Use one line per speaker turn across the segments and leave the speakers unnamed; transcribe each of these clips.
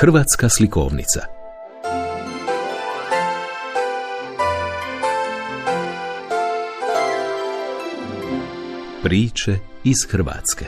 Hrvatska slikovnica. Priče iz Hrvatske.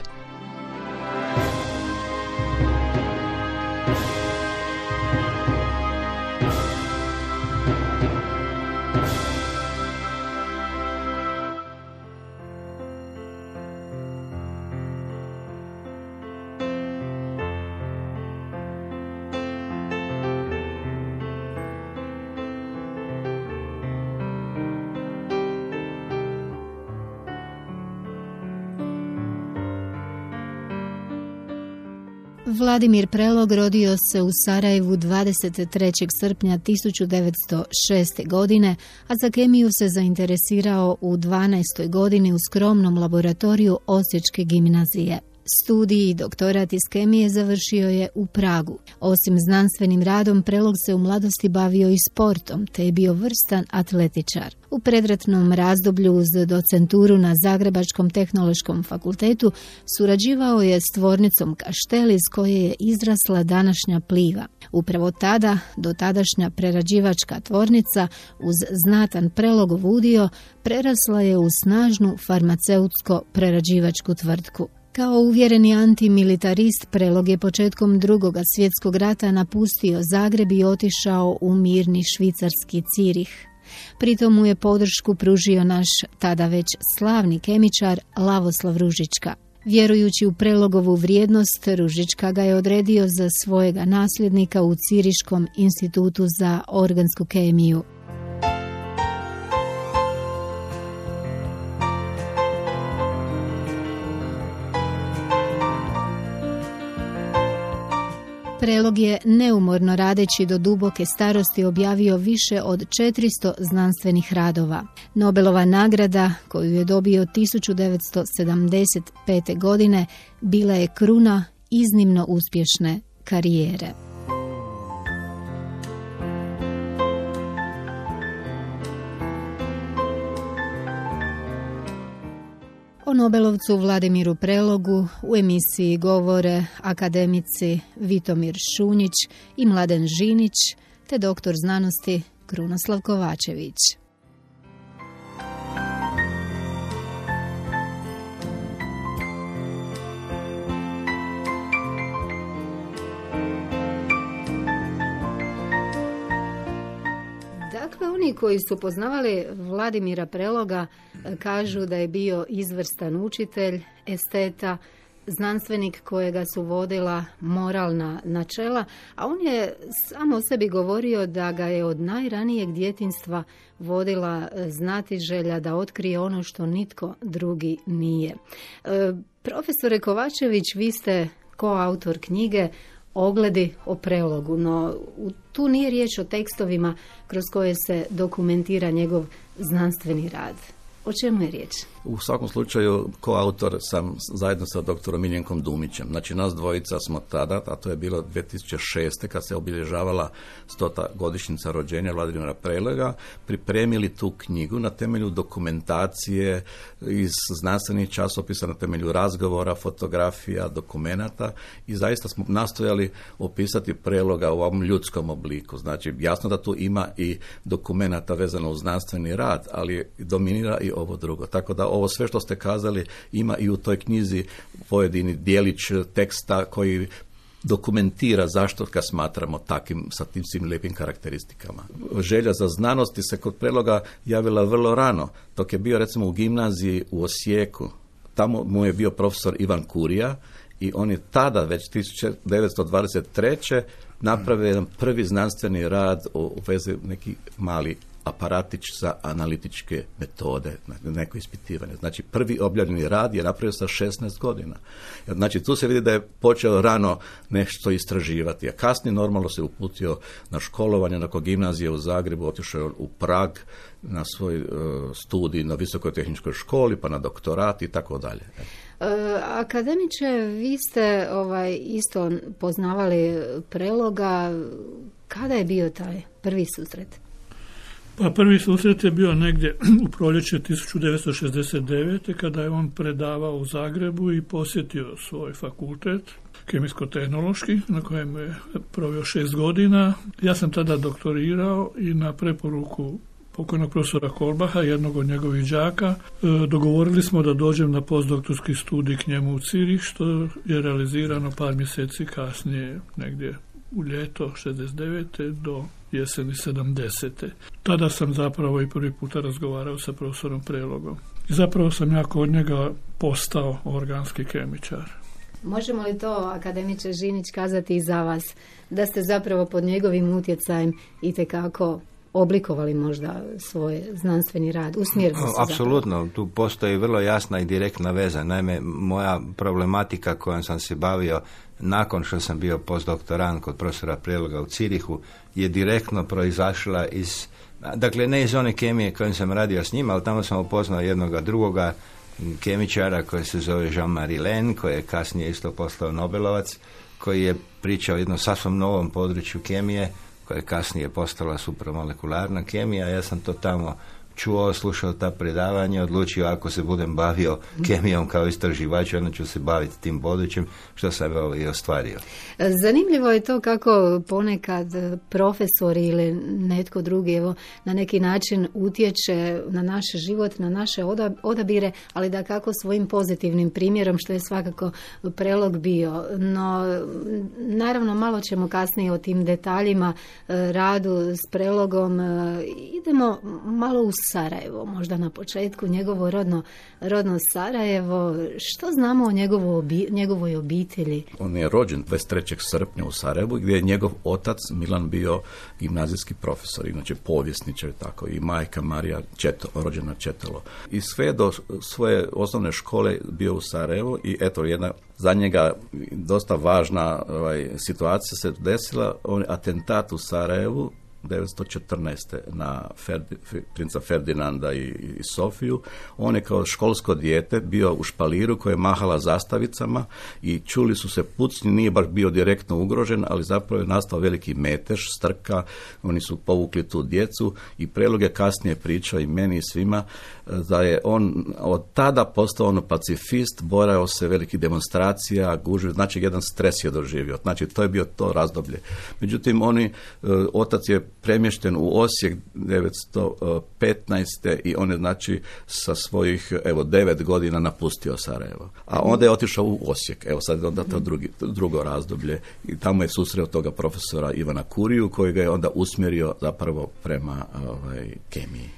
Vladimir Prelog rodio se u Sarajevu 23. srpnja 1906. godine, a za kemiju se zainteresirao u 12. godini u skromnom laboratoriju Osječke gimnazije. Studij i doktorat iz kemije završio je u Pragu. Osim znanstvenim radom, Prelog se u mladosti bavio i sportom, te je bio vrstan atletičar. U predratnom razdoblju uz docenturu na Zagrebačkom tehnološkom fakultetu surađivao je s tvornicom Kaštel iz koje je izrasla današnja Pliva. Upravo tada, dotadašnja prerađivačka tvornica uz znatan Prelogov udio prerasla je u snažnu farmaceutsko-prerađivačku tvrtku. Kao uvjereni antimilitarist, Prelog je početkom Drugog svjetskog rata napustio Zagreb i otišao u mirni švicarski Cirih. Pritom mu je podršku pružio naš tada već slavni kemičar Lavoslav Ružička. Vjerujući u Prelogovu vrijednost, Ružička ga je odredio za svojega nasljednika u Ciriškom institutu za organsku kemiju. Prelog je neumorno radeći do duboke starosti objavio više od 400 znanstvenih radova. Nobelova nagrada, koju je dobio 1975. godine, bila je kruna iznimno uspješne karijere. O Nobelovcu Vladimiru Prelogu u emisiji govore akademici Vitomir Šunjić i Mladen Žinić te doktor znanosti Krunoslav Kovačević. Dakle, oni koji su poznavali Vladimira Preloga kažu da je bio izvrstan učitelj, esteta, znanstvenik kojega su vodila moralna načela, a on je samo o sebi govorio da ga je od najranijeg djetinjstva vodila znatiželja da otkrije ono što nitko drugi nije. Profesore Kovačević, vi ste koautor knjige Ogledi o Prelogu, no tu nije riječ o tekstovima kroz koje se dokumentira njegov znanstveni rad. O čemu je riječ?
U svakom slučaju, koautor sam zajedno sa doktorom Miljenkom Dumićem. Znači, nas dvojica smo tada, a to je bilo 2006. kad se obilježavala 100. godišnjica rođenja Vladimira Preloga, pripremili tu knjigu na temelju dokumentacije iz znanstvenih časopisa, na temelju razgovora, fotografija, dokumenata i zaista smo nastojali opisati Preloga u ovom ljudskom obliku. Znači, jasno da tu ima i dokumenata vezano uz znanstveni rad, ali dominira i ovo drugo. Tako da ovo sve što ste kazali ima i u toj knjizi pojedini dijelić teksta koji dokumentira zašto ga smatramo takim, sa tim svim lijepim karakteristikama. Želja za znanosti se kod Preloga javila vrlo rano, dok je bio recimo u gimnaziji u Osijeku. Tamo mu je bio profesor Ivan Kurija i on je tada, već 1923. napravio jedan prvi znanstveni rad u vezi neki mali aparatić za analitičke metode, neko ispitivanje. Znači, prvi objavljeni rad je napravio sa 16 godina. Znači, tu se vidi da je počeo rano nešto istraživati, a kasnije normalno se uputio na školovanje, nakon gimnazije u Zagrebu, otišao u Prag na svoj studij na Visokoj tehničkoj školi, pa na doktorat i tako dalje.
Akademiče, vi ste isto poznavali Preloga. Kada je bio taj prvi susret?
Pa prvi susret je bio negdje u proljeće 1969. kada je on predavao u Zagrebu i posjetio svoj fakultet, kemijsko-tehnološki, na kojem je proveo 6 godina. Ja sam tada doktorirao i na preporuku pokojnog profesora Kolbaha, jednog od njegovih đaka, dogovorili smo da dođem na postdoktorski studij k njemu u Cirih, što je realizirano par mjeseci kasnije, negdje u ljeto 69. do jeseni 70. Tada sam zapravo i prvi puta razgovarao sa profesorom Prelogom. I zapravo sam ja kod njega postao organski kemičar.
Možemo li to, akademiče Žinić, kazati i za vas, da ste zapravo pod njegovim utjecajem itekako oblikovali možda svoj znanstveni rad, usmjerili se?
Apsolutno, tu postoji vrlo jasna i direktna veza. Naime, moja problematika kojom sam se bavio nakon što sam bio postdoktorant kod profesora Preloga u Cirihu je direktno proizašla iz, dakle ne iz one kemije kojom sam radio s njima, ali tamo sam upoznao jednoga drugoga kemičara koji se zove Jean-Marie Lehn, koji je kasnije isto postao Nobelovac, koji je pričao o jednom sasvim novom području kemije, koja je kasnije postala supromolekularna kemija. Ja sam to tamo čuo, slušao ta predavanja, odlučio ako se budem bavio kemijom kao istraživač, onda ću se baviti tim područjem, što sam i ostvario.
Zanimljivo je to kako ponekad profesori ili netko drugi na neki način utječe na naš život, na naše odabire, ali da kako svojim pozitivnim primjerom, što je svakako Prelog bio. No, naravno, malo ćemo kasnije o tim detaljima radu s Prelogom. Idemo malo u Sarajevo, možda na početku, njegovo rodno Sarajevo. Što znamo o njegovoj obitelji?
On je rođen 23. srpnja u Sarajevu, gdje je njegov otac Milan bio gimnazijski profesor, inače povjesničar, tako, i majka Marija rođena Četelo. I sve do svoje osnovne škole bio u Sarajevu i eto, jedna za njega dosta važna situacija se desila, on je atentat u Sarajevu 1914. na princa Ferdinanda i Sofiju. On je kao školsko dijete bio u špaliru koja je mahala zastavicama i čuli su se pucnji, nije baš bio direktno ugrožen, ali zapravo je nastao veliki metež, strka, oni su povukli tu djecu i Prelog je kasnije pričao i meni i svima da je on od tada postao pacifist, borao se velikih demonstracija, gužvi, znači jedan stres je doživio, znači to je bio to razdoblje. Međutim, otac je premješten u Osijek 1915. i on je znači sa svojih 9 godina napustio Sarajevo. A onda je otišao u Osijek. Evo sad je onda to drugo razdoblje i tamo je susreo toga profesora Ivana Kuriju koji ga je onda usmjerio zapravo prema kemiji.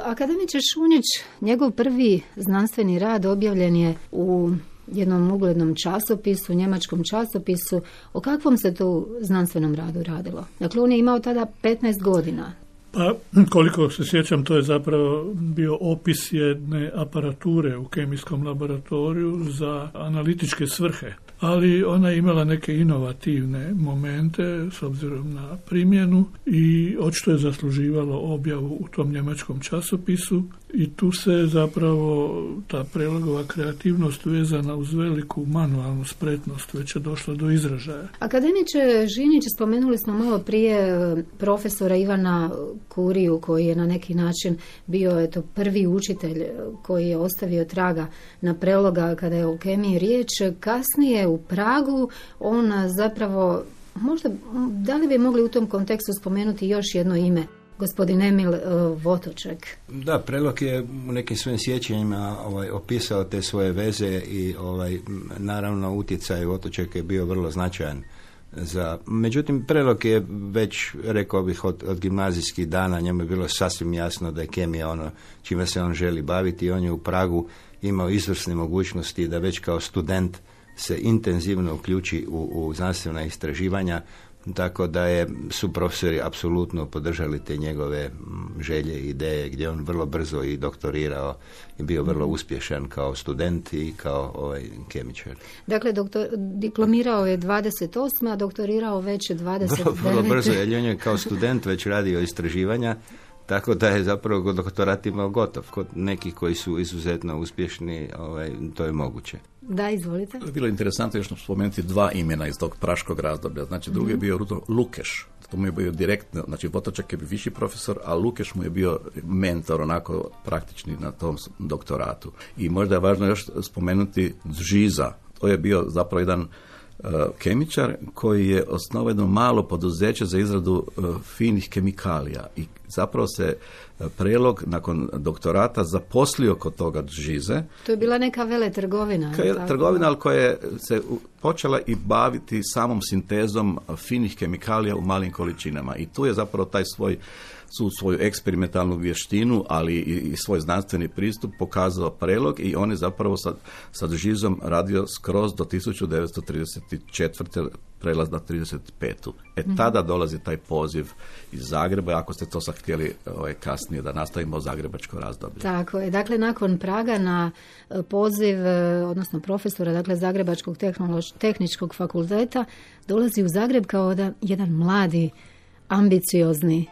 Akademiče Šunjić, njegov prvi znanstveni rad objavljen je u jednom uglednom časopisu, njemačkom časopisu. O kakvom se tu znanstvenom radu radilo? Dakle, on je imao tada 15 godina.
Pa, koliko se sjećam, to je zapravo bio opis jedne aparature u kemijskom laboratoriju za analitičke svrhe. Ali ona je imala neke inovativne momente s obzirom na primjenu i očito je zasluživalo objavu u tom njemačkom časopisu i tu se zapravo ta Prelogova kreativnost vezana uz veliku manualnu spretnost već je došla do izražaja.
Akademiče Žinić, spomenuli smo malo prije profesora Ivana Kuriju koji je na neki način bio prvi učitelj koji je ostavio traga na Preloga kada je o kemiji riječ. Kasnije u Pragu on zapravo, možda, da li bi mogli u tom kontekstu spomenuti još jedno ime? Gospodin Emil Votoček.
Da, Prelog je u nekim svojim sjećanjima opisao te svoje veze i naravno utjecaj Votočeka je bio vrlo značajan. Međutim, Prelog je već, rekao bih, od gimnazijskih dana njemu je bilo sasvim jasno da je kemija ono čime se on želi baviti i on je u Pragu imao izvrsne mogućnosti da već kao student se intenzivno uključi u znanstvena istraživanja, tako da su profesori apsolutno podržali te njegove želje i ideje, gdje on vrlo brzo i doktorirao i bio vrlo uspješan kao student i kao kemičar.
Dakle, diplomirao je 28, a doktorirao već 29.
Vrlo brzo, jer on je kao student već radio istraživanja, tako da je zapravo doktorat imao gotov. Kod nekih koji su izuzetno uspješni, to je moguće.
Da, izvolite.
Bilo je interesantno još spomenuti dva imena iz tog praškog razdoblja. Znači, drugi je bio Rudolf Lukeš, To mu je bio direktno, znači Votočak je bio viši profesor, a Lukeš mu je bio mentor, onako praktični na tom doktoratu. I možda je važno još spomenuti Žiza. To je bio zapravo jedan kemičar koji je osnovao jedno malo poduzeće za izradu finih kemikalija i zapravo se Prelog nakon doktorata zaposlio kod toga Žize.
To je bila neka veletrgovina.
Trgovina, ali koja je se počela i baviti samom sintezom finih kemikalija u malim količinama i tu je zapravo taj svoju eksperimentalnu vještinu, ali i svoj znanstveni pristup pokazao Prelog i on je zapravo sa Žizom radio skroz do 1934. prelaz na 35. Tada dolazi taj poziv iz Zagreba, ako ste to sad htjeli kasnije da nastavimo zagrebačko razdoblje.
Tako je. Dakle, nakon Praga na poziv, odnosno profesora, dakle, Zagrebačkog tehničkog fakulteta, dolazi u Zagreb kao jedan mladi, ambiciozni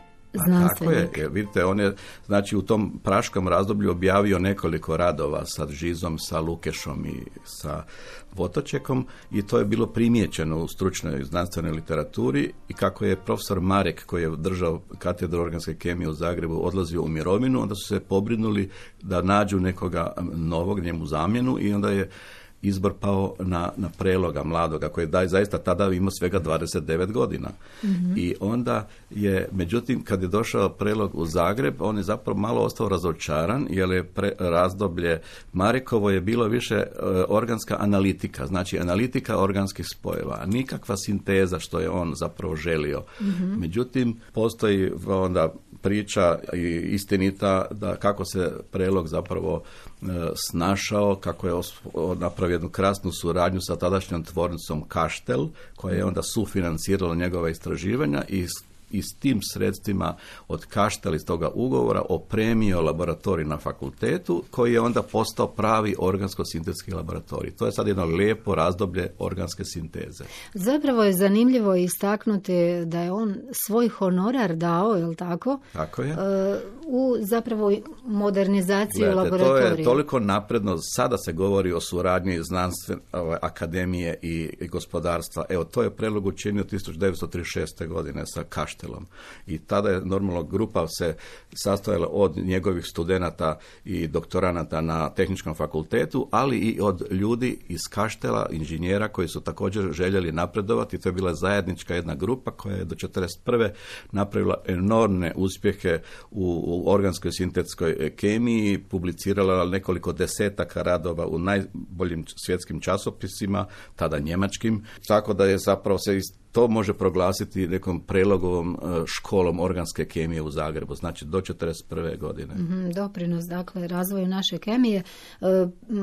znanstvenik.
Tako je, vidite, on je znači u tom praškom razdoblju objavio nekoliko radova sa Žizom, sa Lukešom i sa Votočekom i to je bilo primijećeno u stručnoj znanstvenoj literaturi i kako je profesor Marek, koji je držao katedru organske kemije u Zagrebu, odlazio u mirovinu, onda su se pobrinuli da nađu nekoga novog, njemu zamjenu i onda je izbor pao na Preloga mladoga, koji je zaista tada imao svega 29 godina. Mm-hmm. I onda je, međutim, kad je došao Prelog u Zagreb, on je zapravo malo ostao razočaran, jer je razdoblje Marekovo je bilo više organska analitika, znači analitika organskih spojeva, nikakva sinteza što je on zapravo želio. Mm-hmm. Međutim, postoji onda priča i istinita da kako se Prelog zapravo snašao, kako je napravio jednu krasnu suradnju sa tadašnjom tvornicom Kaštel, koja je onda sufinancirala njegova istraživanja i s tim sredstvima od Kaštel iz toga ugovora opremio laboratorij na fakultetu, koji je onda postao pravi organsko-sintetski laboratorij. To je sad jedno lijepo razdoblje organske sinteze.
Zapravo je zanimljivo istaknuti da je on svoj honorar dao, je li tako?
Tako je.
U zapravo modernizaciju laboratorija.
To je toliko napredno. Sada se govori o suradnji znanstvene akademije i gospodarstva. Evo, to je Prelog učinio 1936. godine sa Kaštelom. I tada je normalno grupa se sastojala od njegovih studenata i doktoranata na tehničkom fakultetu, ali i od ljudi iz Kaštela, inženjera koji su također željeli napredovati. To je bila zajednička jedna grupa koja je do 1941. napravila enormne uspjehe u organskoj sintetskoj kemiji, publicirala nekoliko desetaka radova u najboljim svjetskim časopisima, tada njemačkim, tako da je zapravo se to može proglasiti nekom Prelogovom školom organske kemije u Zagrebu, znači do 1941. godine.
Doprinos, dakle, razvoju naše kemije.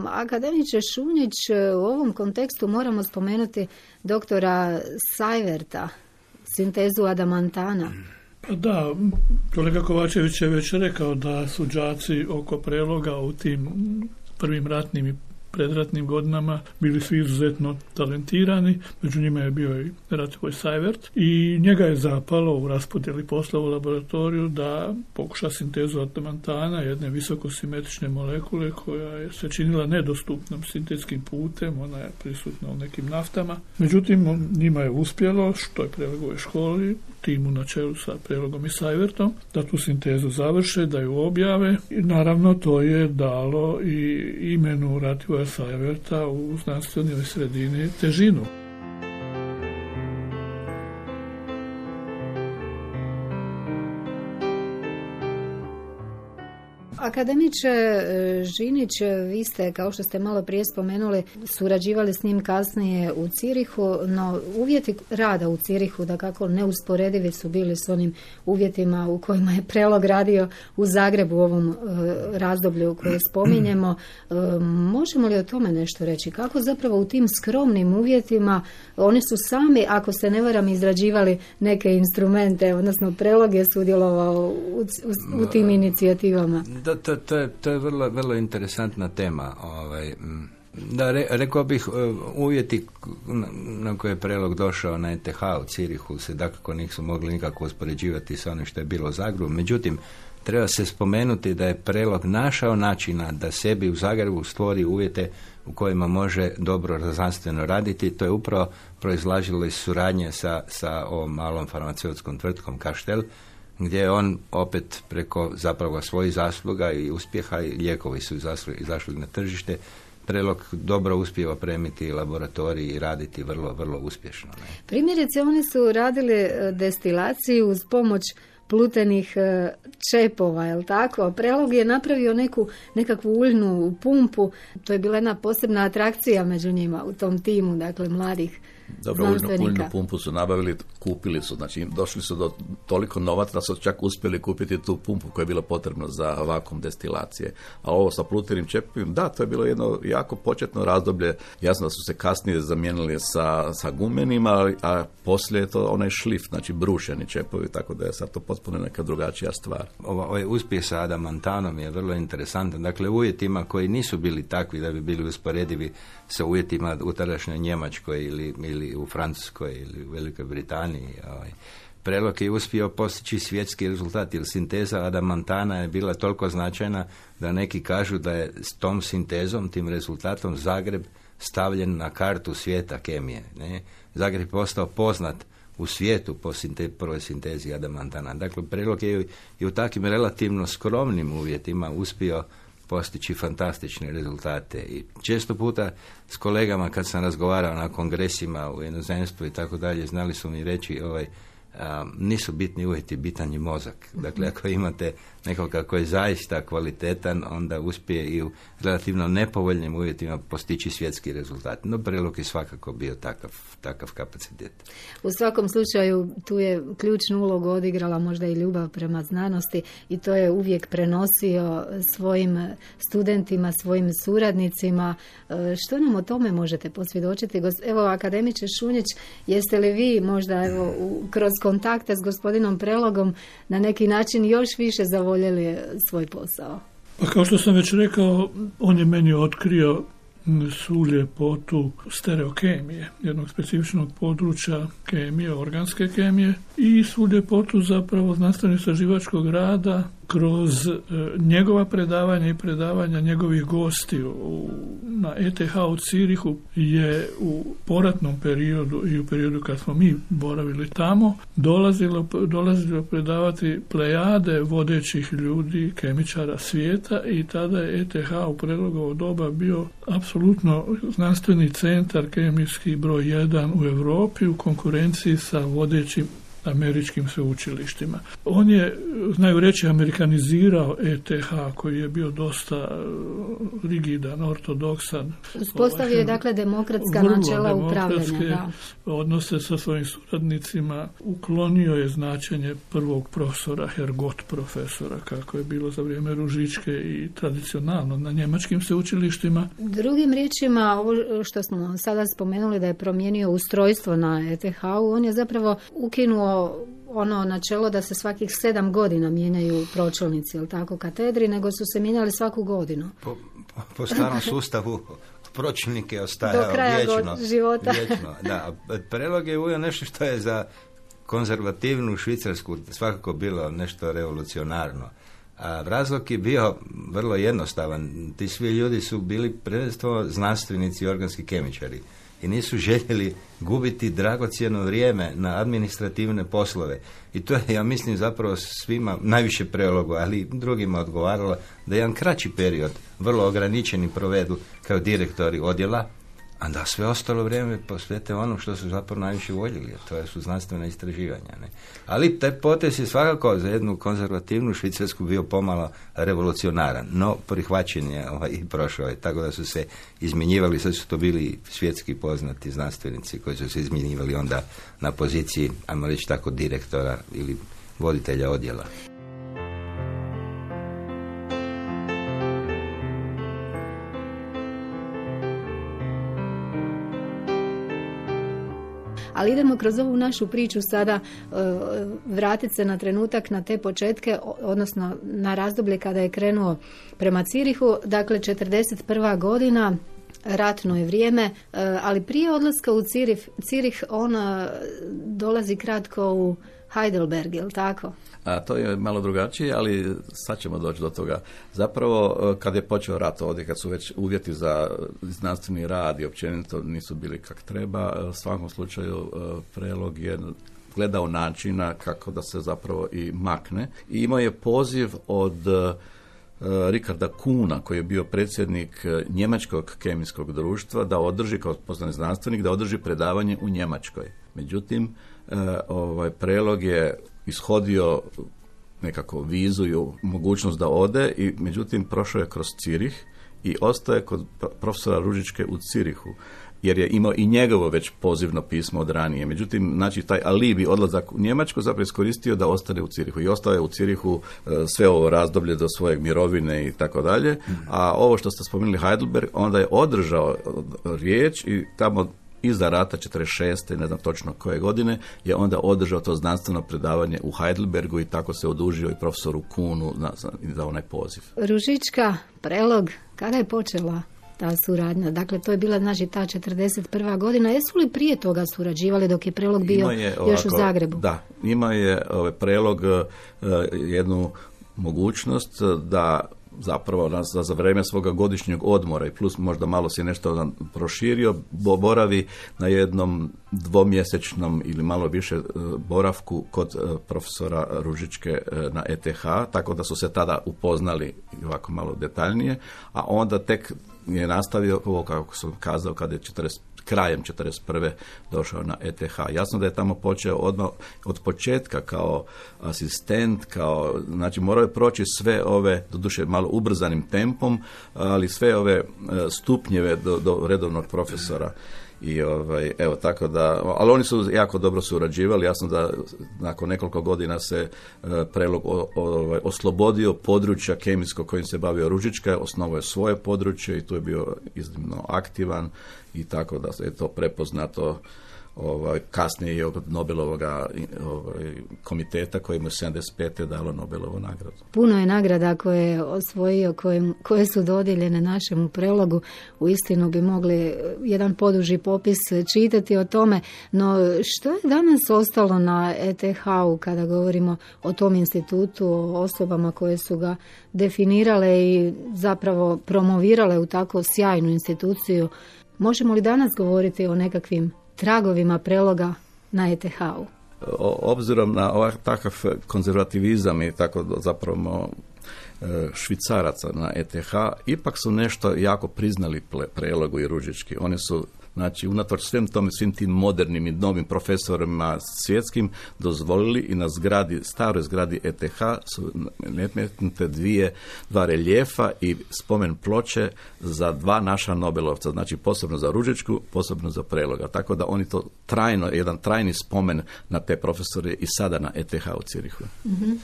Akademiče Šunjić, u ovom kontekstu moramo spomenuti doktora Sajverta, sintezu adamantana.
Da, kolega Kovačević je već rekao da su đaci oko Preloga u tim prvim ratnim i predratnim godinama bili svi izuzetno talentirani, među njima je bio i Rativoj Sajvert i njega je zapalo u raspodjeli posla u laboratoriju da pokuša sintezu adamantana, jedne visokosimetrične molekule koja je se činila nedostupnom sintetskim putem, ona je prisutna u nekim naftama. Međutim, njima je uspjelo, što je Prelogove školi, timu na čelu sa Prelogom i Sajvertom, da tu sintezu završe, da ju objave i naravno to je dalo i imenu Rativoja Sajverta u znanstvenoj sredini težinu.
Akademiče Žinić, vi ste, kao što ste malo prije spomenuli, surađivali s njim kasnije u Cirihu, no uvjeti rada u Cirihu, da kako neusporedivi su bili s onim uvjetima u kojima je Prelog radio u Zagrebu u ovom razdoblju koje spominjemo. Možemo li o tome nešto reći? Kako zapravo u tim skromnim uvjetima oni su sami, ako se ne varam, izrađivali neke instrumente, odnosno Prelog je sudjelovao u tim inicijativama?
To je vrlo, vrlo interesantna tema. Da, rekao bih, uvjeti na koje je Prelog došao na ETH u Cirihu se dakako nisu mogli nikako uspoređivati sa onim što je bilo u Zagrebu. Međutim, treba se spomenuti da je Prelog našao načina da sebi u Zagrebu stvori uvjete u kojima može dobro znanstveno raditi. To je upravo proizlažilo iz suradnje sa ovom malom farmaceutskom tvrtkom Kaštel, gdje je on opet preko zapravo svojih zasluga i uspjeha, i lijekovi su izašli na tržište, Prelog dobro uspije opremiti laboratorij i raditi vrlo, vrlo uspješno. Ne?
Primjerice, oni su radili destilaciju uz pomoć plutenih čepova, je li tako? Prelog je napravio nekakvu uljnu pumpu, to je bila jedna posebna atrakcija među njima u tom timu, dakle mladih znanstvenika.
Uljnu pumpu su nabavili, kupili su, znači došli su do toliko novaca da su čak uspjeli kupiti tu pumpu koja je bila potrebna za vakuum destilacije. A ovo sa plutenim čepovima, da, to je bilo jedno jako početno razdoblje. Jasno da su se kasnije zamijenili sa gumenima, a poslije je to onaj šlif, znači brušeni čepovi, tako da je sad to potpuno neka drugačija stvar.
Ovaj uspjeh sa adamantanom je vrlo interesantan. Dakle, uvjetima koji nisu bili takvi da bi bili usporedivi sa uvjetima u tadašnjoj Njemačkoj ili u Francuskoj ili u Velikoj Britaniji. Prelog je uspio postići svjetski rezultat, jer sinteza adamantana je bila toliko značajna da neki kažu da je s tom sintezom, tim rezultatom, Zagreb stavljen na kartu svijeta kemije. Ne? Zagreb je postao poznat u svijetu po prvoj sintezi adamantana. Dakle, Prelog je i u takvim relativno skromnim uvjetima uspio postići fantastične rezultate. I često puta s kolegama kad sam razgovarao na kongresima u inozemstvu i tako dalje, znali su mi reći nisu bitni uvjeti, bitan je mozak. Dakle, ako imate nekoga koji je zaista kvalitetan, onda uspije i u relativno nepovoljnim uvjetima postići svjetski rezultat. No, Prelog je svakako bio takav kapacitet.
U svakom slučaju, tu je ključnu ulogu odigrala možda i ljubav prema znanosti i to je uvijek prenosio svojim studentima, svojim suradnicima. Što nam o tome možete posvjedočiti? Evo, akademiče Šunjić, jeste li vi možda kroz kontakte s gospodinom Prelogom na neki način još više zavoljeli svoj posao?
Pa kao što sam već rekao, on je meni otkrio svu ljepotu stereokemije, jednog specifičnog područja kemije, organske kemije, i svu ljepotu zapravo znanstveno-istraživačkog rada kroz njegova predavanja i predavanja njegovih gostiju na ETH u Cirihu je u poratnom periodu i u periodu kad smo mi boravili tamo dolazilo predavati plejade vodećih ljudi, kemičara svijeta, i tada je ETH u Prelogovo doba bio apsolutno znanstveni centar kemijski broj 1 u Europi u konkurenciji sa vodećim američkim sveučilištima. On je, znaju reći, amerikanizirao ETH koji je bio dosta rigidan, ortodoksan.
Uspostavio je dakle demokratska načela upravljanja.
Odnose sa svojim suradnicima, uklonio je značenje prvog profesora, Hergot profesora, kako je bilo za vrijeme Ružičke i tradicionalno na njemačkim sveučilištima.
Drugim riječima, ovo što smo sada spomenuli da je promijenio ustrojstvo na ETH-u, on je zapravo ukinuo ono načelo da se svakih 7 godina mijenjaju pročelnici, jel tako, katedri, nego su se mijenjali svaku godinu.
Po starom sustavu pročelnike ostajao
do kraja života.
Vječno, da. Prelog je uveo nešto što je za konzervativnu Švicarsku svakako bilo nešto revolucionarno. A razlog je bio vrlo jednostavan. Ti svi ljudi su bili prvenstveno znanstvenici i organski kemičari i nisu željeli gubiti dragocjeno vrijeme na administrativne poslove. I to je, ja mislim, zapravo svima, najviše Prelogu, ali i drugima odgovaralo da jedan kraći period, vrlo ograničeni, provedu kao direktori odjela, a da sve ostalo vrijeme posvete ono što su zapravo najviše voljeli, a to su znanstvena istraživanja. Ne? Ali taj potez je svakako za jednu konzervativnu Švicarsku bio pomalo revolucionaran, no prihvaćen je i prošao je, tako da su se izmjenjivali, sad su to bili svjetski poznati znanstvenici koji su se izmjenjivali onda na poziciji, ajmo reći tako, direktora ili voditelja odjela.
Ali idemo kroz ovu našu priču sada vratiti se na trenutak, na te početke, odnosno na razdoblje kada je krenuo prema Cirihu, dakle 41. godina, ratno je vrijeme, ali prije odlaska u Cirih on dolazi kratko u Heidelberg, je li tako?
A to je malo drugačije, ali sad ćemo doći do toga. Zapravo, kad je počeo rat ovdje, kad su već uvjeti za znanstveni rad i općenito nisu bili kak treba, u svakom slučaju Prelog je gledao načina kako da se zapravo i makne. I imao je poziv od Rikarda Kuna, koji je bio predsjednik Njemačkog kemijskog društva, da održi, kao poznani znanstvenik, da održi predavanje u Njemačkoj. Međutim, Prelog je ishodio nekako vizu, mogućnost da ode, i međutim prošao je kroz Cirih i ostaje kod profesora Ružičke u Cirihu, jer je imao i njegovo već pozivno pismo od ranije. Međutim, znači, taj alibi odlazak u Njemačku zapravo iskoristio da ostane u Cirihu. I ostao je u Cirihu sve ovo razdoblje do svojeg mirovine i tako dalje. A ovo što ste spomenuli Heidelberg, onda je održao riječ i tamo iza rata 46. ne znam točno koje godine, je onda održao to znanstveno predavanje u Heidelbergu i tako se odužio i profesoru Kunu za onaj poziv.
Ružička, Prelog, kada je počela ta suradnja? Dakle, to je bila, znači, ta 41. godina. Jesu li prije toga surađivali dok je Prelog bio još u Zagrebu?
Da, ima je Prelog jednu mogućnost da zapravo za vrijeme svoga godišnjeg odmora i plus možda malo se nešto proširio, boravi na jednom dvomjesečnom ili malo više boravku kod profesora Ružičke na ETH, tako da su se tada upoznali ovako malo detaljnije, a onda tek je nastavio ovo, kako sam kazao, kada je krajem 41. došao na ETH. Jasno da je tamo počeo odmah od početka kao asistent, znači morao je proći sve ove, doduše malo ubrzanim tempom, ali sve ove stupnjeve do redovnog profesora. I evo, tako da, ali oni su jako dobro surađivali. Jasno da nakon nekoliko godina se Prelog oslobodio područja kemijskog kojim se bavio Ružička, osnovao je svoje područje i tu je bio iznimno aktivan i tako da je to prepoznato kasnije i od Nobelovog komiteta koji mu je 75. dalo Nobelovu nagradu.
Puno je nagrada koje je osvojio, koje su dodijeljene našemu Prelogu. Uistinu bi mogli jedan poduži popis čitati o tome, no što je danas ostalo na ETH-u kada govorimo o tom institutu, o osobama koje su ga definirale i zapravo promovirale u tako sjajnu instituciju? Možemo li danas govoriti o nekakvim tragovima Preloga na ETH-u?
Obzirom na takav konzervativizam i tako zapravo Švicaraca na ETH, ipak su nešto jako priznali Prelogu i Ružički. Oni su, znači, unatoč svim tim modernim i novim profesorima svjetskim dozvolili i na staroj zgradi ETH su metnute dva reljefa i spomen ploče za dva naša Nobelovca, znači posebno za Ružičku, posebno za Preloga. Tako da oni to jedan trajni spomen na te profesore i sada na ETH u Cirihu.
Mm-hmm.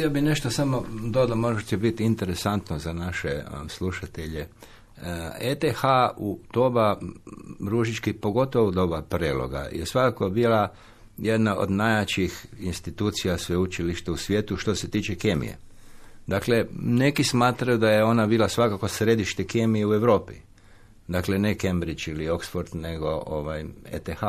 Ja bi nešto samo dodao, možda će biti interesantno za naše slušatelje. ETH u doba Ružički, pogotovo u doba Preloga, je svakako bila jedna od najjačih institucija sveučilišta u svijetu što se tiče kemije. Dakle, neki smatraju da je ona bila svakako središte kemije u Europi. Dakle, ne Cambridge ili Oxford, nego ETH.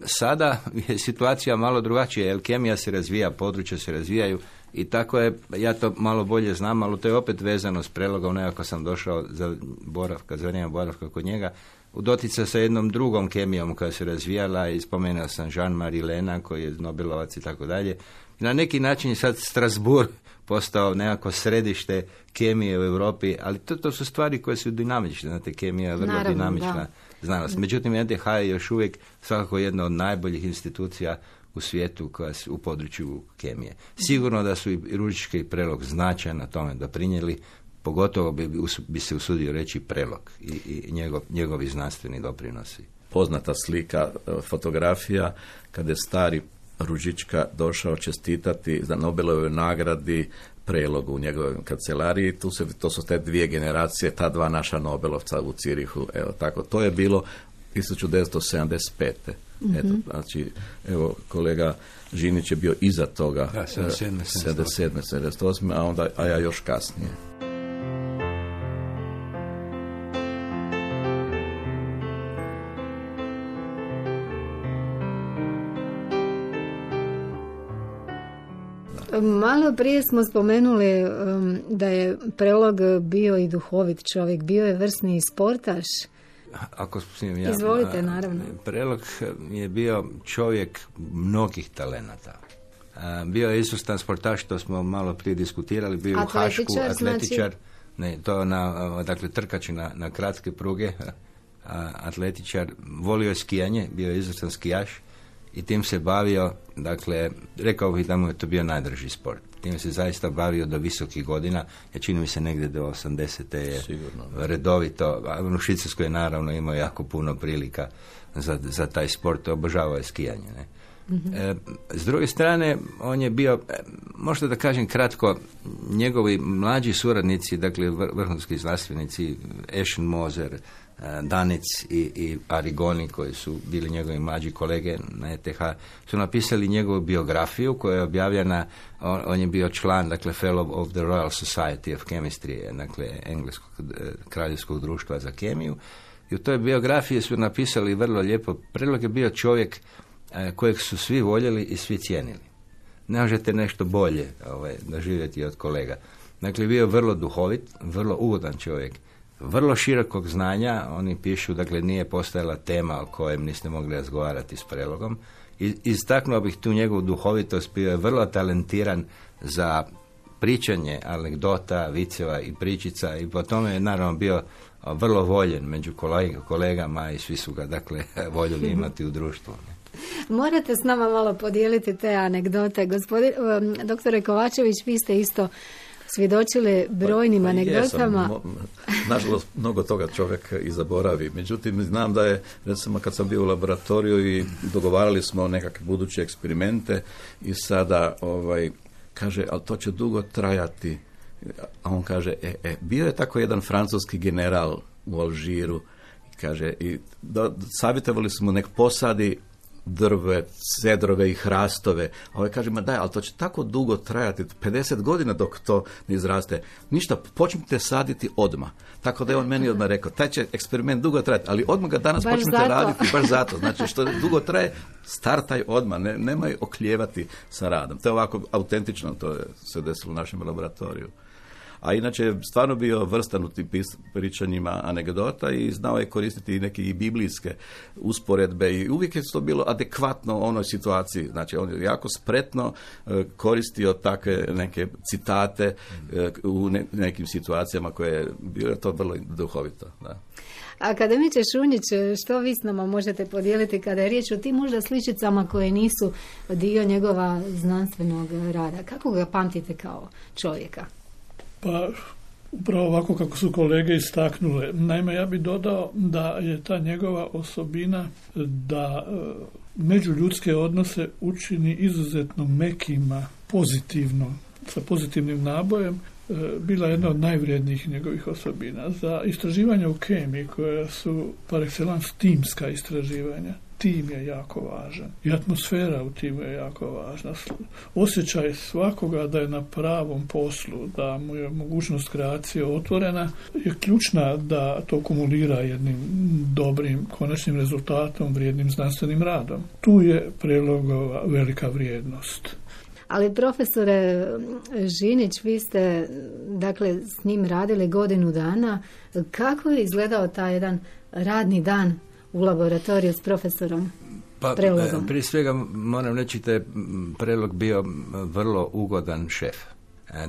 Sada je situacija malo drugačija, jer kemija se razvija, područja se razvijaju i tako je, ja to malo bolje znam, ali to je opet vezano s Prelogom, nekako sam došao za vrijeme boravka kod njega, u dotica sa jednom drugom kemijom koja se razvijala i spomenuo sam Jean-Marie Lena koji je Nobelovac i tako dalje. Na neki način je sad Strasbourg postao nekako središte kemije u Europi, ali to su stvari koje su dinamične, znate, kemija je vrlo dinamična znanost. Međutim, ETH je još uvijek svakako jedna od najboljih institucija u svijetu koja u području kemije. Sigurno da su i Ružička i Prelog značajno na tome doprinijeli, pogotovo bi se usudio reći Prelog i njegovi znanstveni doprinosi.
Poznata slika, fotografija, kada je stari Ružička došao čestitati za Nobelovoj nagradi Prelogu u njegovoj kancelariji. To su te dvije generacije, ta dva naša Nobelovca u Cirihu. Evo, tako, to je bilo 1975. Mm-hmm. Eto, znači, evo, kolega Žinić je bio iza toga, 77. 78. a ja još kasnije.
Malo prije smo spomenuli da je Prelog bio i duhovit čovjek, bio je vrsni sportaš.
Ako smijem ja.
Izvolite, naravno.
Prelog je bio čovjek mnogih talenata. Bio je izvrstan sportaš, to smo malo prije diskutirali, bio je u Hašku, atletičar, znači... ne, to dakle trkač na kratke pruge, atletičar, volio je skijanje, bio je izvrstan skijaš i tim se bavio, dakle, rekao bih da mu je to bio najdraži sport. Tim se zaista bavio do visokih godina, ja čini mi se negdje do 80. je sigurno redovito, a u Švicarskoj je naravno imao jako puno prilika za taj sport, obožavao je skijanje, ne. Mm-hmm. S druge strane, on je bio, možda da kažem kratko, njegovi mlađi suradnici, dakle vrhunski znanstvenici, Eschenmoser, Danic i Arrigoni, koji su bili njegovi mlađi kolege na ETH, su napisali njegovu biografiju koja je objavljena, on je bio član, dakle Fellow of the Royal Society of Chemistry, dakle Engleskog kraljevskog društva za kemiju, i u toj biografiji su napisali vrlo lijepo. Prelog je bio čovjek kojeg su svi voljeli i svi cijenili. Ne možete nešto bolje doživjeti od kolega. Dakle, bio vrlo duhovit, vrlo ugodan čovjek, vrlo širokog znanja. Oni pišu, dakle, nije postojala tema o kojem niste mogli razgovarati s Prelogom. I istaknuo bih tu njegovu duhovitost, bio je vrlo talentiran za pričanje anegdota, viceva i pričica i po tome je naravno bio vrlo voljen među kolegama i svi su ga, dakle, voljeli imati u društvu.
Morate s nama malo podijeliti te anegdote. Doktore Kovačević, vi ste isto svjedočili brojnim anegdotama.
Nažalost, mnogo toga čovjek i zaboravi. Međutim, znam da je, recimo, kad sam bio u laboratoriju i dogovarali smo nekakve buduće eksperimente i sada, kaže, ali to će dugo trajati. A on kaže, bio je tako jedan francuski general u Alžiru, kaže, i savjetovali smo nek posadi drve, cedrove i hrastove. A kaže, ma daj, ali to će tako dugo trajati, 50 godina dok to ne izraste. Ništa, počnite saditi odmah. Tako da je on meni odmah rekao, taj će eksperiment dugo trajati, ali odmah ga danas počnete raditi, baš zato. Znači, što dugo traje, startaj odmah, nemoj oklijevati sa radom. To je ovako autentično, to se desilo u našem laboratoriju. A inače je stvarno bio vrstan u tim pričanjima anegdota i znao je koristiti i neke i biblijske usporedbe i uvijek je to bilo adekvatno onoj situaciji. Znači on je jako spretno koristio takve neke citate u nekim situacijama koje je bilo to vrlo duhovito. Da.
Akademiče Šunjić, što vi s nama možete podijeliti kada je riječ o tim možda sličicama koje nisu dio njegova znanstvenog rada? Kako ga pamtite kao čovjeka?
Pa, upravo ovako kako su kolege istaknule. Naime, ja bih dodao da je ta njegova osobina da međuljudske odnose učini izuzetno mekima, pozitivno, sa pozitivnim nabojem, bila jedna od najvrijednijih njegovih osobina. Za istraživanja u kemiji, koja su par excellence timska istraživanja, tim je jako važan. I atmosfera u timu je jako važna. Osjećaj svakoga da je na pravom poslu, da mu je mogućnost kreacije otvorena, je ključna da to kumulira jednim dobrim konačnim rezultatom, vrijednim znanstvenim radom. Tu je Prelogova velika vrijednost.
Ali profesore Žinić, vi ste dakle s njim radili godinu dana. Kako je izgledao taj jedan radni dan u laboratoriju s profesorom Prelogom?
Prije svega moram reći da je Prelog bio vrlo ugodan šef.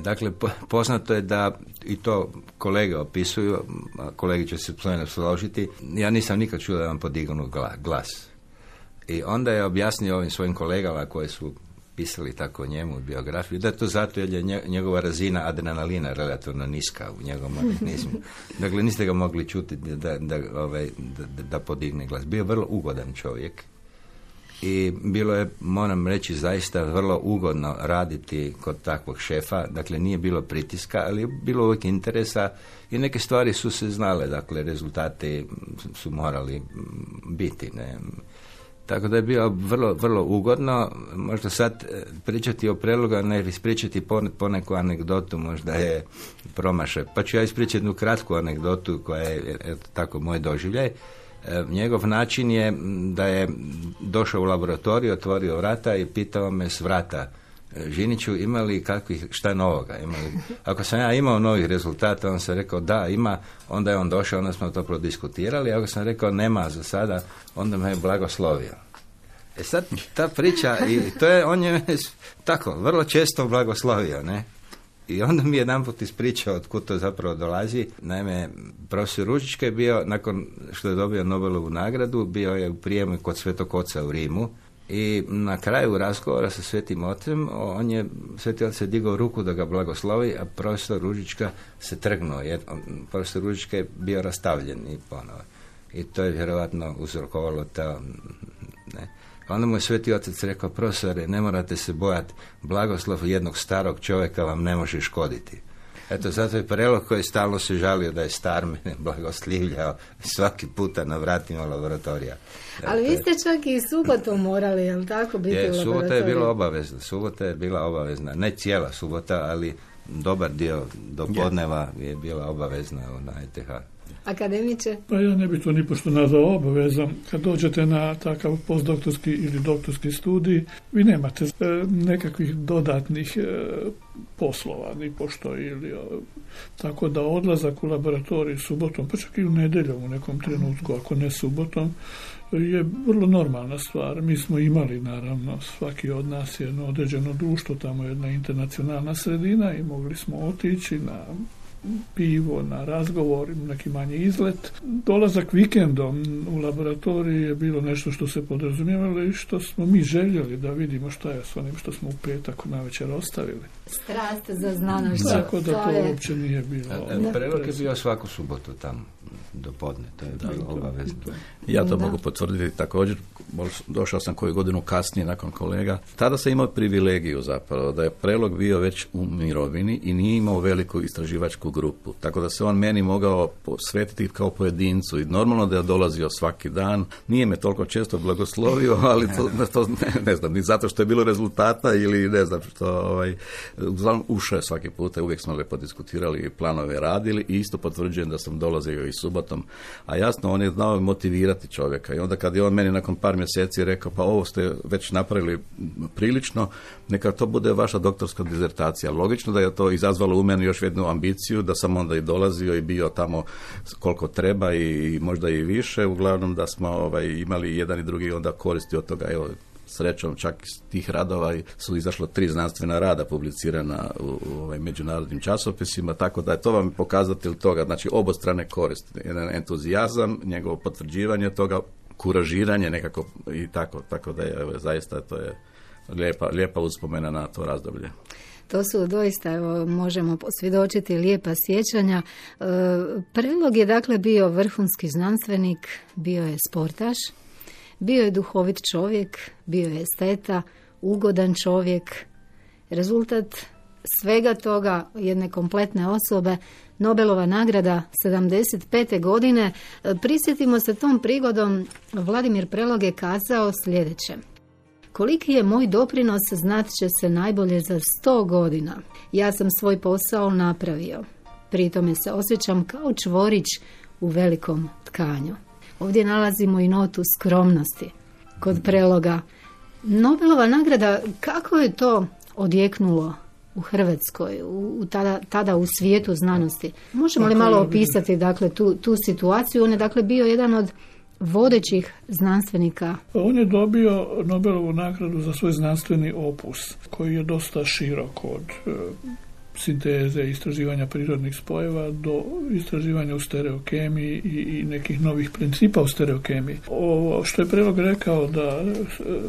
Dakle, poznato je da, i to kolege opisuju, kolege će se složiti, ja nisam nikad čuo da vam podignu glas. I onda je objasnio ovim svojim kolegama koji su pisali tako o njemu u biografiju, da je to zato jer je njegova razina adrenalina relativno niska u njegovom organizmu. Dakle, niste ga mogli čuti da podigne glas. Bio je vrlo ugodan čovjek i bilo je, moram reći, zaista vrlo ugodno raditi kod takvog šefa. Dakle, nije bilo pritiska, ali je bilo uvijek interesa i neke stvari su se znale. Dakle, rezultati su morali biti, ne. Tako da je bilo vrlo, vrlo ugodno. Možda sad pričati o Prelogu, ne ispričati poneku anegdotu, možda je promašaj. Pa ću ja ispričati jednu kratku anegdotu koja je tako moj doživljaj. Njegov način je da je došao u laboratoriju, otvorio vrata i pitao me s vrata Žiniću, imali kakvih, šta novoga? Ako sam ja imao novih rezultata, on se rekao da, ima, onda je on došao, onda smo to prodiskutirali, ako sam rekao nema za sada, onda me je blagoslovio. Sad ta priča, i to je, on je tako, vrlo često blagoslovio, ne? I onda mi je jedanput ispričao od kud to zapravo dolazi. Naime, profesor Ružička je bio, nakon što je dobio Nobelovu nagradu, bio je u prijemu kod Svetog Oca u Rimu i na kraju razgovora sa Svetim Ocem, Sveti Otac je digao ruku da ga blagoslovi, a profesor Ružička se trgnuo. Profesor Ružička je bio rastavljen i ponovo. I to je vjerovatno uzrokovalo to, ne. Onda mu je Sveti Otac rekao, profesore, ne morate se bojati, blagoslov jednog starog čovjeka vam ne može škoditi. Eto, zato je Prelog koji stalno se žalio da je star, mene blagoslivljao svaki puta na vratima laboratorija.
Ali vi ste čak i subotom morali, jel tako, biti u laboratoriju?
Subota je bila obavezna, ne cijela subota, ali dobar dio do podneva je bila obavezna na ETH.
Akademiče?
Pa ja ne bi to ni pošto nazvao obavezom. Kad dođete na takav postdoktorski ili doktorski studij, vi nemate nekakvih dodatnih poslova, ni pošto ili tako da odlazak u laboratorij subotom, pa čak i u nedjeljom u nekom trenutku, ako ne subotom, je vrlo normalna stvar. Mi smo imali, naravno, svaki od nas je jedno određeno društvo, tamo je jedna internacionalna sredina i mogli smo otići na pivo, na razgovor, neki manji izlet. Dolazak vikendom u laboratoriji je bilo nešto što se podrazumijevalo i što smo mi željeli da vidimo šta je s onim što smo u petak navečer ostavili.
Strast za znanošću.
Tako da to uopće nije bilo.
Prelog je bio svaku subotu tamo do podne, to je bilo obavezno.
Ja to mogu potvrditi također, došao sam koju godinu kasnije nakon kolega. Tada sam imao privilegiju zapravo da je Prelog bio već u mirovini i nije imao veliku istraživačku grupu, tako da se on meni mogao posvetiti kao pojedincu i normalno da je dolazio svaki dan. Nije me toliko često blagoslovio, ali to ne znam, ni zato što je bilo rezultata ili ne znam što, uglavnom ušao je svaki puta, uvijek smo lepo diskutirali i planove radili i isto potvrđujem da sam dolazio i subotom, a jasno on je znao motivirati čovjeka i onda kad je on meni nakon par mjeseci rekao, pa ovo ste već napravili prilično, neka to bude vaša doktorska dizertacija. Logično da je to izazvalo u meni još jednu ambiciju, da sam onda i dolazio i bio tamo koliko treba i možda i više, uglavnom da smo imali jedan i drugi onda koristi od toga. Evo, srećom čak iz tih radova su izašlo 3 znanstvena rada publicirana u međunarodnim časopisima, tako da je to vam pokazatelj toga, znači obostrane koristi, jedan entuzijazam, njegovo potvrđivanje toga, kuražiranje nekako i tako da je zaista to je lijepa uspomena na to razdoblje.
To su doista, evo, možemo posvjedočiti lijepa sjećanja. Prelog je dakle bio vrhunski znanstvenik, bio je sportaš, bio je duhovit čovjek, bio je esteta, ugodan čovjek. Rezultat svega toga, jedne kompletne osobe, Nobelova nagrada 75. godine. Prisjetimo se tom prigodom, Vladimir Prelog je kazao sljedeće. Koliki je moj doprinos znat će se najbolje za 100 godina. Ja sam svoj posao napravio. Pri tome se osjećam kao čvorić u velikom tkanju. Ovdje nalazimo i notu skromnosti kod Preloga. Nobelova nagrada, kako je to odjeknulo u Hrvatskoj, tada u svijetu znanosti? Možemo li malo opisati dakle, tu situaciju? On je dakle bio jedan od vodećih znanstvenika.
On je dobio Nobelovu nagradu za svoj znanstveni opus, koji je dosta širok od sinteze i istraživanja prirodnih spojeva do istraživanja u stereokemiji i nekih novih principa u stereokemiji. Ovo što je Prelog rekao da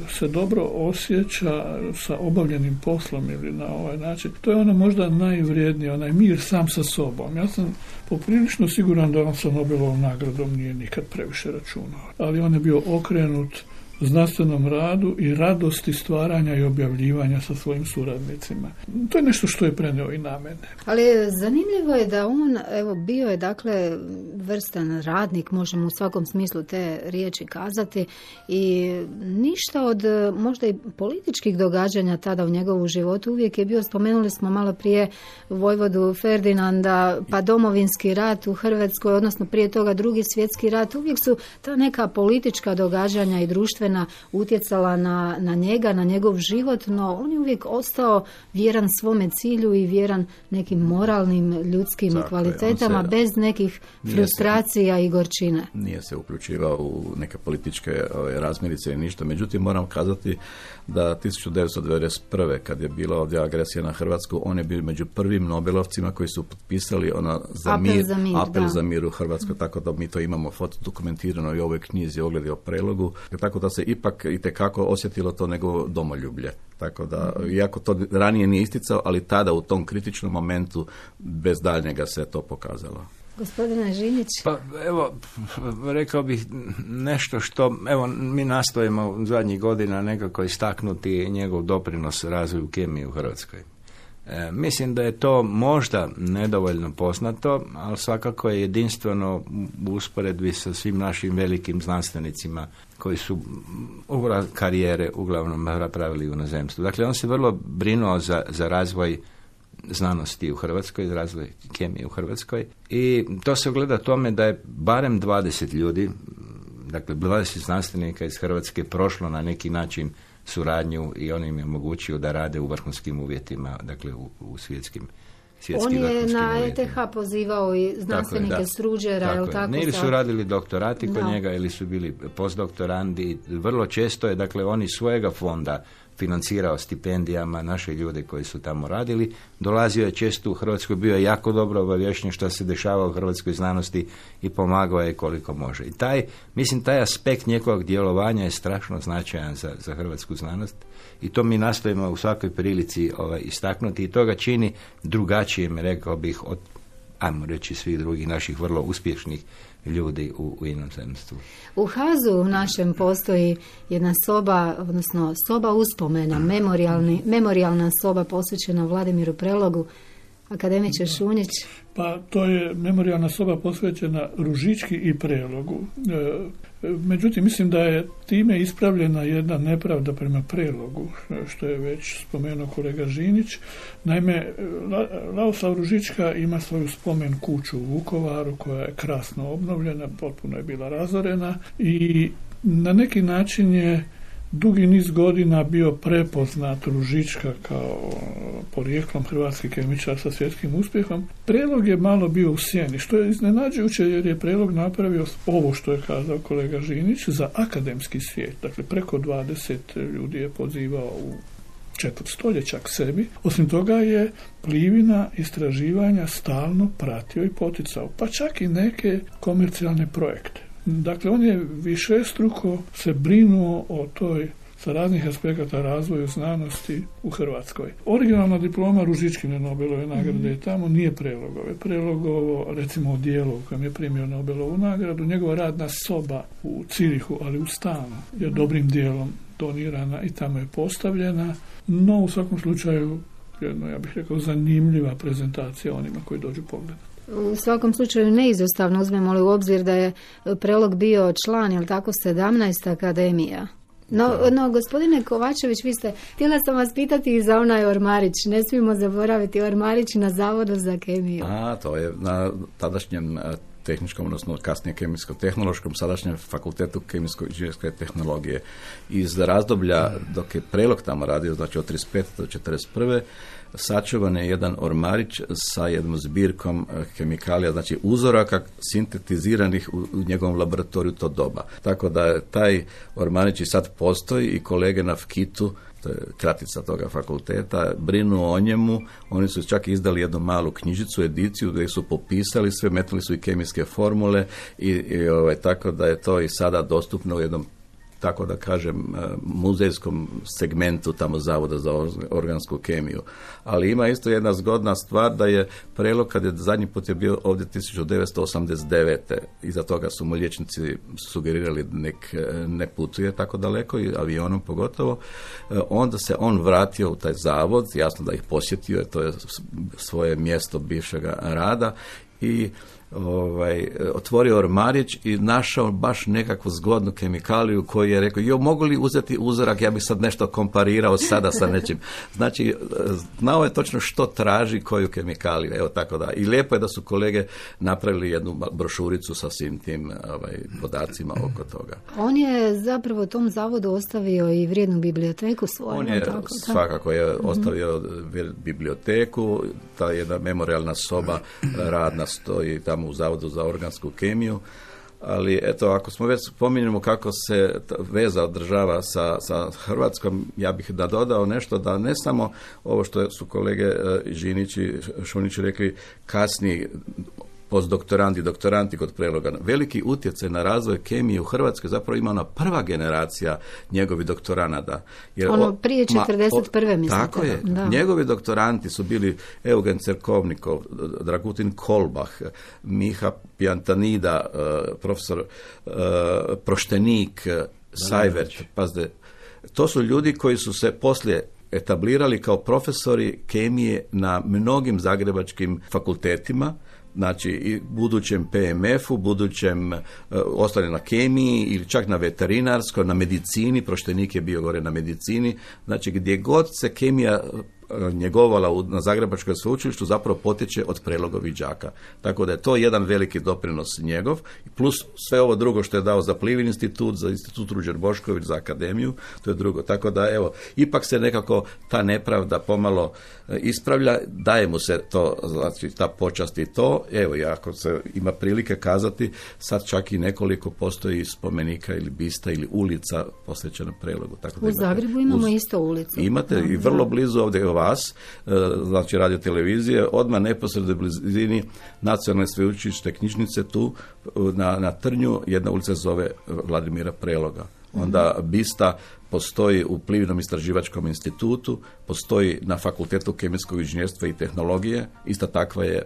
se dobro osjeća sa obavljenim poslom ili na ovaj način, to je ono možda najvrijednije, onaj mir sam sa sobom. Ja sam poprilično siguran da on sa Nobelovom nagradom nije nikad previše računao, ali on je bio okrenut znanstvenom radu i radosti stvaranja i objavljivanja sa svojim suradnicima. To je nešto što je preneo i na mene.
Ali zanimljivo je da on, evo, bio je dakle vrstan radnik, možemo u svakom smislu te riječi kazati, i ništa od možda i političkih događanja tada u njegovu životu. Uvijek je bio, spomenuli smo malo prije vojvodu Ferdinanda, pa Domovinski rat u Hrvatskoj, odnosno prije toga Drugi svjetski rat. Uvijek su ta neka politička događanja i društvena društvena utjecala na njega, na njegov život, no on je uvijek ostao vjeran svome cilju i vjeran nekim moralnim, ljudskim kvalitetama, bez nekih frustracija i gorčine.
Nije se uključivao u neke političke razmirice i ništa. Međutim, moram kazati da 1991. kad je bila ovdje agresija na Hrvatsku, on je bio među prvim Nobelovcima koji su potpisali apel za mir u Hrvatskoj, tako da mi to imamo fotodokumentirano i u ovoj knjizi Ogledi o Prelogu, tako da se ipak itekako osjetilo to nego domoljublje. Tako da, iako to ranije nije isticao, ali tada u tom kritičnom momentu bez daljnjega se to pokazalo.
Gospodine Žinić?
Pa evo, rekao bih nešto što, evo, mi nastojimo u zadnjih godina nekako istaknuti njegov doprinos razvoju kemije u Hrvatskoj. Mislim da je to možda nedovoljno poznato, ali svakako je jedinstveno u usporedbi sa svim našim velikim znanstvenicima koji su karijere uglavnom napravili u inozemstvu. Dakle, on se vrlo brinuo za razvoj znanosti u Hrvatskoj, razvoj kemije u Hrvatskoj i to se ogleda tome da je barem 20 ljudi, dakle 20 znanstvenika iz Hrvatske prošlo na neki način suradnju i on im je omogućio da rade u vrhunskim uvjetima, dakle u svjetskim
on je na ETH pozivao i znanstvenike s Ruđera, je li tako?
Ili su radili doktorati kod njega ili su bili postdoktorandi. Vrlo često je, dakle, oni svojega fonda financirao stipendijama naše ljude koji su tamo radili. Dolazio je često u Hrvatskoj, bio je jako dobro obavješten što se dešava u hrvatskoj znanosti i pomagao je koliko može. I taj aspekt njegovog djelovanja je strašno značajan za hrvatsku znanost i to mi nastojimo u svakoj prilici istaknuti i to ga čini drugačijim, rekao bih, od, ajmo reći, svih drugih naših vrlo uspješnih ljudi u inozemstvu.
U Hazu našem postoji jedna soba, odnosno soba uspomena, memorijalna soba posvećena Vladimiru Prelogu. Akademiče Šunjić.
Pa to je memorijalna soba posvećena Ružički i Prelogu. Međutim, mislim da je time ispravljena jedna nepravda prema Prelogu, što je već spomenuo kolega Žinić. Naime, Lavoslav Ružička ima svoju spomen kuću u Vukovaru koja je krasno obnovljena, potpuno je bila razorena i na neki način je dugi niz godina bio prepoznat Ružička kao porijeklom hrvatski kemičar sa svjetskim uspjehom. Prelog je malo bio u sjeni, što je iznenađujuće jer je Prelog napravio ovo što je kazao kolega Žinić za akademski svijet. Dakle, preko 20 ljudi je pozivao u četvrt stoljeća k sebi. Osim toga je Plivina istraživanja stalno pratio i poticao, pa čak i neke komercijalne projekte. Dakle, on je višestruko se brinuo o toj sa raznih aspekata razvoju znanosti u Hrvatskoj. Originalna diploma Ružičkine Nobelove nagrade je tamo, nije Prelogove. Prelogovo, recimo, o dijelu u kojem je primio Nobelovu nagradu, njegova radna soba u Cirihu, ali u stanu, je dobrim dijelom donirana i tamo je postavljena, no u svakom slučaju jedno, ja bih rekao, zanimljiva prezentacija onima koji dođu pogledati.
U svakom slučaju neizostavno uzmemo li u obzir da je Prelog bio član, jel tako, 17 akademija. No, gospodine Kovačević, htjela sam vas pitati i za onaj ormarić. Ne smijemo zaboraviti ormarić na Zavodu za kemiju.
To je na tadašnjem tehničkom, odnosno kasnije kemijsko-tehnološkom, sadašnjem fakultetu kemijsko-inženjerske tehnologije. Iz razdoblja dok je Prelog tamo radio, znači od 35. do 41. sačuvan je jedan ormarić sa jednom zbirkom kemikalija, znači uzoraka sintetiziranih u njegovom laboratoriju to doba. Tako da taj ormarić i sad postoji i kolege na FKIT-u, to je kratica toga fakulteta, brinu o njemu. Oni su čak izdali jednu malu knjižicu, ediciju gdje su popisali sve, metnuli su i kemijske formule i tako da je to i sada dostupno u jednom, tako da kažem, muzejskom segmentu tamo Zavoda za organsku kemiju. Ali ima isto jedna zgodna stvar da je Prelog, kad je zadnji put je bio ovdje 1989. Iza toga su mu liječnici sugerirali ne putuje tako daleko, i avionom pogotovo, onda se on vratio u taj zavod, jasno da ih posjetio, to je svoje mjesto bivšega rada, i otvorio ormarić i našao baš nekakvu zgodnu kemikaliju koju je rekao, mogu li uzeti uzorak, ja bih sad nešto komparirao sada sa nečim. Znači, znao je točno što traži koju kemikaliju, evo tako da. I lijepo je da su kolege napravili jednu brošuricu sa svim tim podacima oko toga.
On je zapravo tom zavodu ostavio i vrijednu biblioteku svoju.
On je svakako ostavio biblioteku, ta jedna memorialna soba radna stoji tamo u Zavodu za organsku kemiju, ali eto, ako smo već spominjemo kako se veza održava sa Hrvatskom, ja bih da dodao nešto, da ne samo ovo što su kolege Žinić i Šunić rekli, kasniji postdoktoranti, doktoranti kod Preloga. Veliki utjecaj na razvoj kemije u Hrvatskoj zapravo ima ona prva generacija njegovih doktoranata.
Jer prije 41. mislite.
Tako je. Da. Njegovi doktoranti su bili Eugen Cerkovnikov, Dragutin Kolbah, Miha Pijantanida, profesor Proštenik, Sajvert. Pazde, to su ljudi koji su se poslije etablirali kao profesori kemije na mnogim zagrebačkim fakultetima, znači i budućem PMF-u, budućem ostali na kemiji ili čak na veterinarskoj, na medicini, Proštenik je bio gore na medicini, znači gdje god se kemija njegovala na Zagrebačkoj sveučilištu zapravo potječe od Prelogovih đaka. Tako da je to jedan veliki doprinos njegov, plus sve ovo drugo što je dao za Plivin institut, za institut Ruđer Bošković, za akademiju, to je drugo. Tako da evo, ipak se nekako ta nepravda pomalo ispravlja, daje mu se to, znači ta počast i to, evo, ako se ima prilike kazati, sad čak i nekoliko postoji spomenika ili bista ili ulica posvećena Prelogu. Tako da
u Zagrebu imamo isto ulicu.
Imate i vrlo blizu ovdje vas, znači radio televizije, odmah neposredno blizini Nacionalne sveučilišne knjižnice tu na Trnju, jedna ulica zove Vladimira Preloga. Onda bista postoji u Plivinom istraživačkom institutu, postoji na Fakultetu kemijskog inženjerstva i tehnologije, ista takva je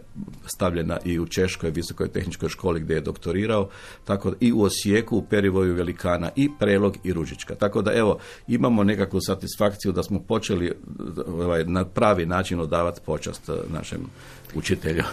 stavljena i u Češkoj visokoj tehničkoj školi gdje je doktorirao, tako i u Osijeku, u Perivoju Velikana i Prelog i Ružička. Tako da evo, imamo nekakvu satisfakciju da smo počeli na pravi način odavati počast našem učitelju.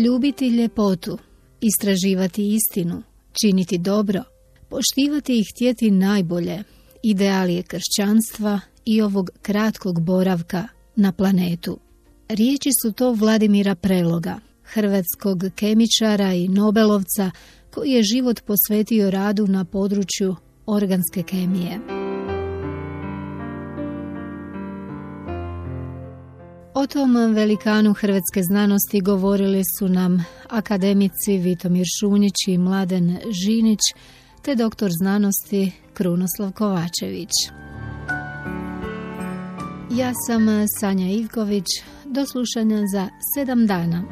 Ljubiti ljepotu, istraživati istinu, činiti dobro, poštivati i htjeti najbolje, ideal je kršćanstva i ovog kratkog boravka na planetu. Riječi su to Vladimira Preloga, hrvatskog kemičara i nobelovca koji je život posvetio radu na području organske kemije. O tom velikanu hrvatske znanosti govorili su nam akademici Vitomir Šunjić i Mladen Žinić, te doktor znanosti Krunoslav Kovačević. Ja sam Sanja Ivković, do slušanja za 7 dana.